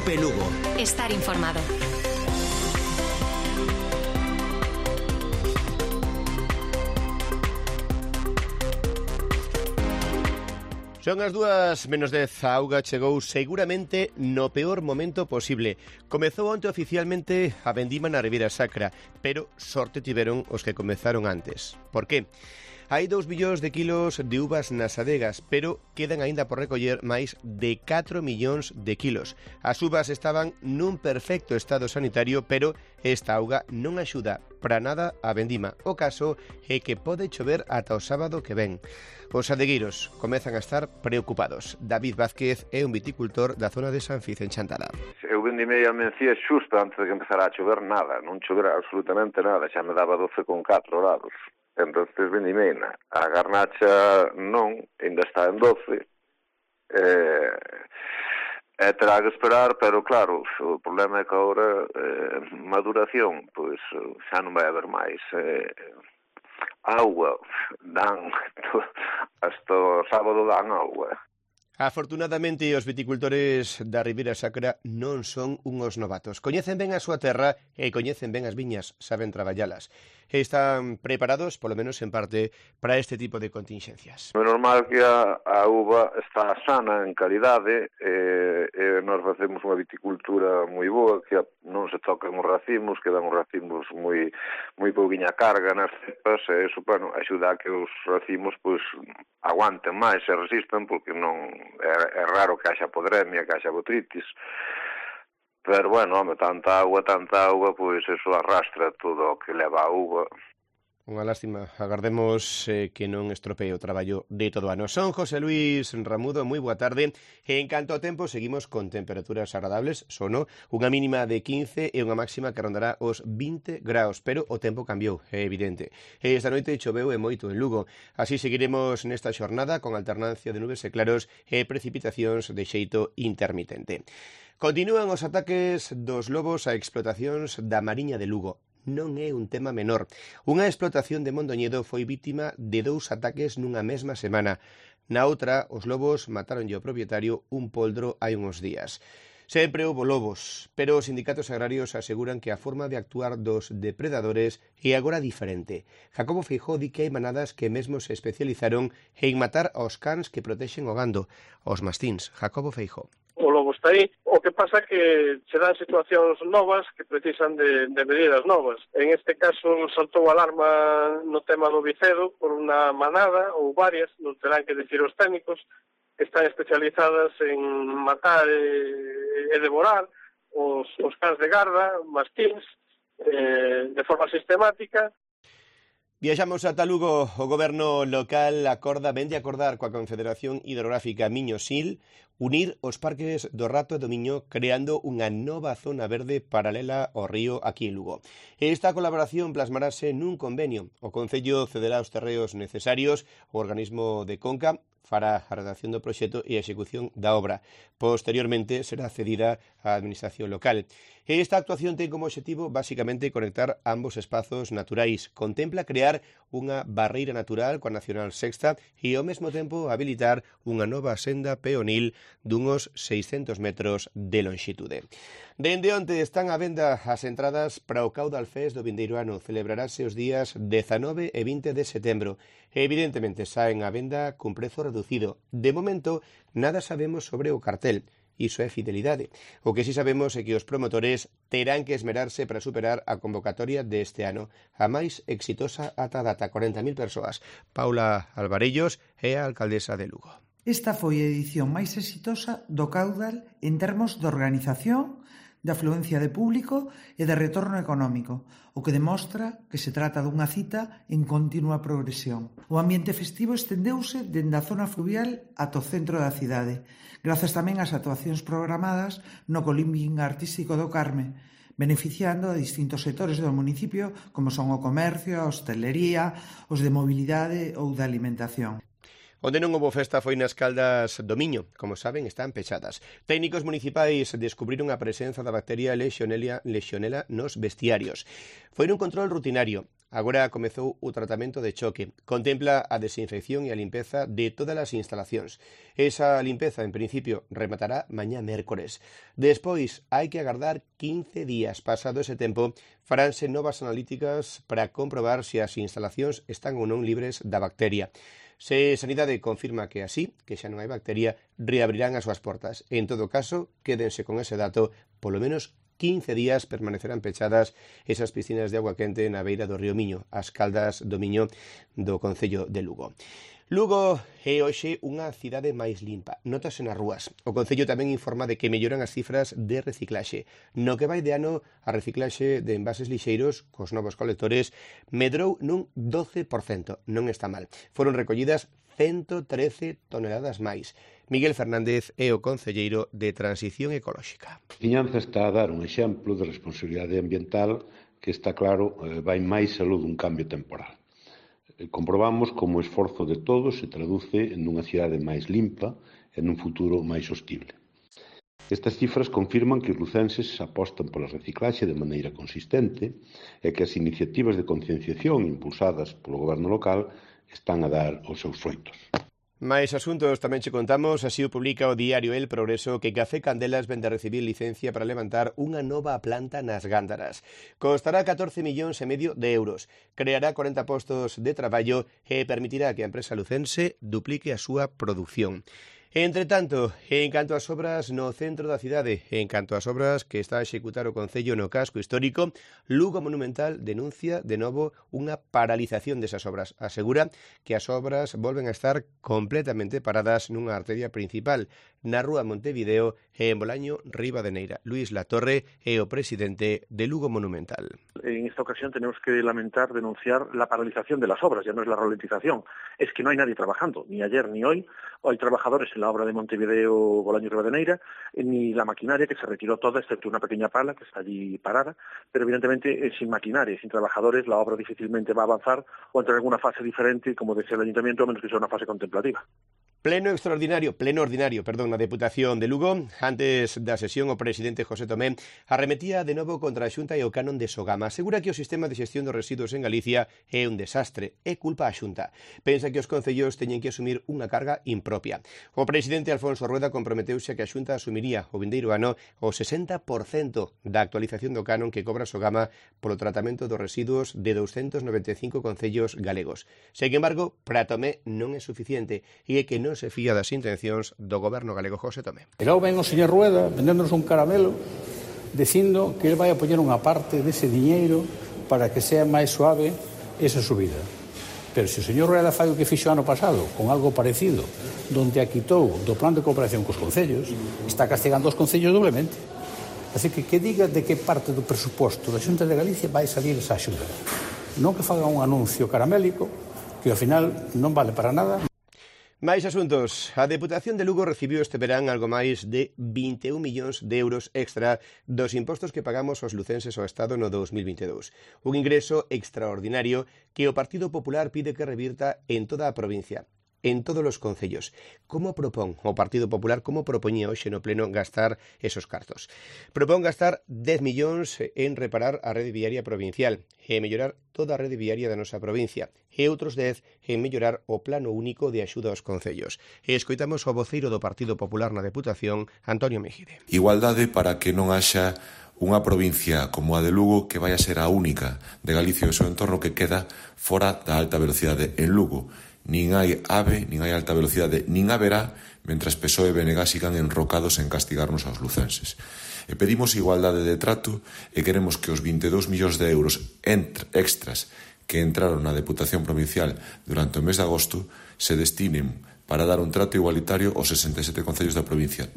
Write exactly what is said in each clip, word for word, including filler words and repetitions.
Cope Lugo. Estar informado. Son as dúas menos dez, a auga chegou seguramente no peor momento posible. Comezou onte oficialmente a vendima na Ribeira Sacra, pero sorte tiveron os que comezaron antes. Por qué? Hai dous millóns de kilos de uvas nas adegas, pero quedan aínda por recoller máis de catro millóns de kilos. As uvas estaban nun perfecto estado sanitario, pero esta auga non axuda para nada a vendima. O caso é que pode chover ata o sábado que ven. Os adegueiros comezan a estar preocupados. David Vázquez é un viticultor da zona de San Fiz, en Chantada. Eu vendimei a mencía xusto antes de que empezara a chover nada, non chovera absolutamente nada, xa me daba doce con catro grados. Entonces vendimeina. A garnacha non, ainda está en doce. Eh, e terá que esperar, pero claro, o problema é que agora eh, maduración, pois xa non vai haber máis. Eh, Agua, dan, hasta o sábado dan agua. Afortunadamente, os viticultores da Ribeira Sacra non son unhos novatos. Coñecen ben a súa terra e coñecen ben as viñas, saben traballalas. Están preparados, polo menos en parte, para este tipo de contingencias. É normal que a, a uva está sana en calidade e, e nós facemos unha viticultura moi boa, que non se tocan os racimos, que dan os racimos moi moi pouquiña carga nas cepas, e iso, bueno, axuda a que os racimos pois aguanten máis e resistan, porque non é, é raro que haxa podremia, que haxa botritis. Pero, bueno, home, tanta agua, tanta agua, pois eso arrastra todo o que leva a uva. Unha lástima, agardemos eh, que non estropee o traballo de todo ano. Son José Luis Ramudo, moi boa tarde. En canto ao tempo, seguimos con temperaturas agradables, sono unha mínima de quince e unha máxima que rondará os vinte graus, pero o tempo cambiou, é evidente. Esta noite choveu e moito en Lugo. Así seguiremos nesta xornada con alternancia de nubes e claros e precipitacións de xeito intermitente. Continúan os ataques dos lobos a explotacións da Mariña de Lugo. Non é un tema menor. Unha explotación de Mondoñedo foi vítima de dous ataques nunha mesma semana. Na outra, os lobos mataronlle ao propietario un poldro hai uns días. Sempre houbo lobos, pero os sindicatos agrarios aseguran que a forma de actuar dos depredadores é agora diferente. Jacobo Feijó di que hai manadas que mesmo se especializaron en matar aos cans que protexen o gando, os mastíns. Jacobo Feijó. O lobo está aí, o que pasa que se dan situacións novas que precisan de, de medidas novas. En este caso saltou a alarma no tema do vicedo por unha manada ou varias, non terán que decir os técnicos, que están especializadas en matar e, e devorar os, os cans de garda, mastíns, eh, de forma sistemática. Viaxamos ata Lugo. O goberno local acorda, vende acordar coa Confederación Hidrográfica Miño-Sil unir os parques do Rato e do Miño creando unha nova zona verde paralela ao río aquí en Lugo. Esta colaboración plasmarase nun convenio. O Concello cederá os terreos necesarios ao organismo de Conca fará a redacción do proxecto e a execución da obra. Posteriormente será cedida á administración local. Esta actuación ten como objetivo basicamente conectar ambos espazos naturais. Contempla crear unha barreira natural coa Nacional Sexta e ao mesmo tempo habilitar unha nova senda peonil dunhos seiscentos metros de lonxitude. Dende onte están á venda as entradas para o Caudal Fest do vindeiro ano. Celebrarase os días dezanove e vinte de setembro. Evidentemente saen á venda cun prezo reducido. De momento, nada sabemos sobre o cartel. Iso é fidelidade. O que si sabemos é que os promotores terán que esmerarse para superar a convocatoria deste ano, a máis exitosa ata data, corenta mil persoas. Paula Alvarellos é a alcaldesa de Lugo. Esta foi a edición máis exitosa do Caudal en termos de organización, de afluencia de público e de retorno económico, o que demostra que se trata dunha cita en continua progresión. O ambiente festivo estendeuse dende a zona fluvial ata o centro da cidade, grazas tamén ás actuacións programadas no Colimbing Artístico do Carme, beneficiando a distintos sectores do municipio como son o comercio, a hostelería, os de mobilidade ou da alimentación. Onde non houbo festa foi nas Caldas do Miño. Como saben, están pechadas. Técnicos municipais descubriron a presenza da bacteria Legionella, Legionella nos vestiarios. Foi un control rutinario. agora comezou o tratamento de choque. Contempla a desinfección e a limpeza de todas as instalacións. Esa limpeza, en principio, rematará mañá mércores. Despois, hai que agardar quince días. Pasado ese tempo, faránse novas analíticas para comprobar se as instalacións están ou non libres da bacteria. Se Sanidade confirma que así, que xa non hai bacteria, reabrirán as súas portas. En todo caso, quédense con ese dato, polo menos quince días permanecerán pechadas esas piscinas de agua quente na beira do río Miño, as Caldas do Miño do concello de Lugo. Lugo é hoxe unha cidade máis limpa, notase nas rúas. O concello tamén informa de que melloran as cifras de reciclaxe. No que vai de ano, a reciclaxe de envases lixeiros cos novos colectores medrou nun doce por cento. Non está mal. Foron recollidas ciento trece toneladas máis. Miguel Fernández é o concelleiro de Transición Ecolóxica. A veciñanza está a dar un exemplo de responsabilidade ambiental que está claro vai máis aló dun cambio temporal. Comprobamos como o esforzo de todos se traduce nunha cidade máis limpa e nun futuro máis sostible. Estas cifras confirman que os lucenses apostan pola reciclaxe de maneira consistente e que as iniciativas de concienciación impulsadas polo goberno local están a dar os seus froitos. Mais asuntos tamén che contamos, así o publica o diario El Progreso, que Café Candelas vende a recibir licencia para levantar unha nova planta nas Gándaras. Costará catorce millóns e medio de euros, creará corenta postos de traballo e permitirá que a empresa lucense duplique a súa produción. Entre tanto, en canto ás obras no centro da cidade, en canto ás obras que está a executar o Concello no casco histórico, Lugo Monumental denuncia de novo unha paralización desas obras. Asegura que as obras volven a estar completamente paradas nunha arteria principal, na rúa Montevideo e en Bolaño Ribadeneira. Luis Latorre é o presidente de Lugo Monumental. En esta ocasión tenemos que lamentar, denunciar la paralización de las obras, ya no es la ralentización, es que no hay nadie trabajando, ni ayer ni hoy, hay trabajadores en la obra de Montevideo, Bolaño Ribadeneira, ni la maquinaria que se retiró toda, excepto una pequeña pala que está allí parada, pero evidentemente eh, sin maquinaria, sin trabajadores, la obra difícilmente va a avanzar o entrar en alguna fase diferente, como decía el Ayuntamiento, a menos que sea una fase contemplativa. Pleno extraordinario, pleno ordinario, perdón, na Deputación de Lugo. Antes da sesión, o presidente José Tomé arremetía de novo contra a Xunta e o canon de Sogama. Asegura que o sistema de xestión dos residuos en Galicia é un desastre, é culpa a Xunta. Pensa que os concellos teñen que asumir unha carga impropia. O presidente Alfonso Rueda comprometeuse a que a Xunta asumiría o vindeiro ano o sesenta por cento da actualización do canon que cobra Sogama polo tratamento dos residuos de doscientos noventa e cinco concellos galegos. Sen embargo, para Tomé non é suficiente e é que non se fía das intencións do goberno galego José Tomé. E logo ven o señor Rueda vendéndonos un caramelo dicindo que ele vai a poñer unha parte dese diñeiro para que sea máis suave esa subida. Pero se o señor Rueda fai o que fixo ano pasado con algo parecido, donde a quitou do plan de cooperación cos concellos, está castigando os concellos doblemente. Así que que diga de que parte do presuposto da Xunta de Galicia vai salir esa axuda. Non que faga un anuncio caramélico que ao final non vale para nada. Máis asuntos. A Deputación de Lugo recibiu este verán algo máis de vinte e un millóns de euros extra dos impostos que pagamos os lucenses ao Estado no dos mil vinte e dous. Un ingreso extraordinario que o Partido Popular pide que revirta en toda a provincia, en todos os concellos. Como propón o Partido Popular, como propoñía hoxe no pleno gastar esos cartos? Propón gastar dez millóns en reparar a rede viaria provincial e mellorar toda a rede viaria da nosa provincia e outros dez en mellorar o plano único de axuda aos concellos. E escoitamos o voceiro do Partido Popular na Deputación, Antonio Mejide. Igualdade para que non haxa unha provincia como a de Lugo que vai a ser a única de Galicia e o seu entorno que queda fora da alta velocidade en Lugo. Nin hai AVE, nin hai alta velocidade, nin haberá, mentras P S O E e B N G sigan enrocados en castigarnos aos lucenses. E pedimos igualdade de trato e queremos que os vinte e dous millóns de euros extras que entraron na Deputación Provincial durante o mes de agosto se destinen para dar un trato igualitario aos sesenta e sete concellos da provincia.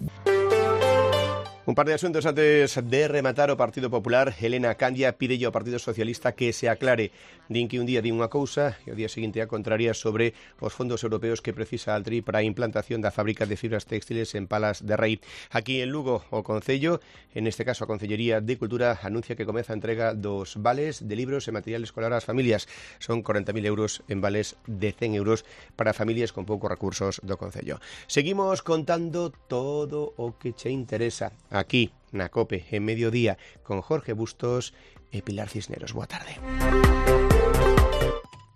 Un par de asuntos antes de rematar o Partido Popular. Elena Candia pide ao Partido Socialista que se aclare. Din que un día di unha cousa e o día seguinte a contraria sobre os fondos europeos que precisa Altri para a implantación da fábrica de fibras textiles en Palas de Rei. Aquí en Lugo, o Concello, en este caso a Concellería de Cultura, anuncia que comeza a entrega dos vales de libros e material escolar ás familias. Son corenta mil euros en vales de cen euros para familias con poucos recursos do Concello. Seguimos contando todo o que che interesa aquí na COPE en Mediodía con Jorge Bustos e Pilar Cisneros. Boa tarde.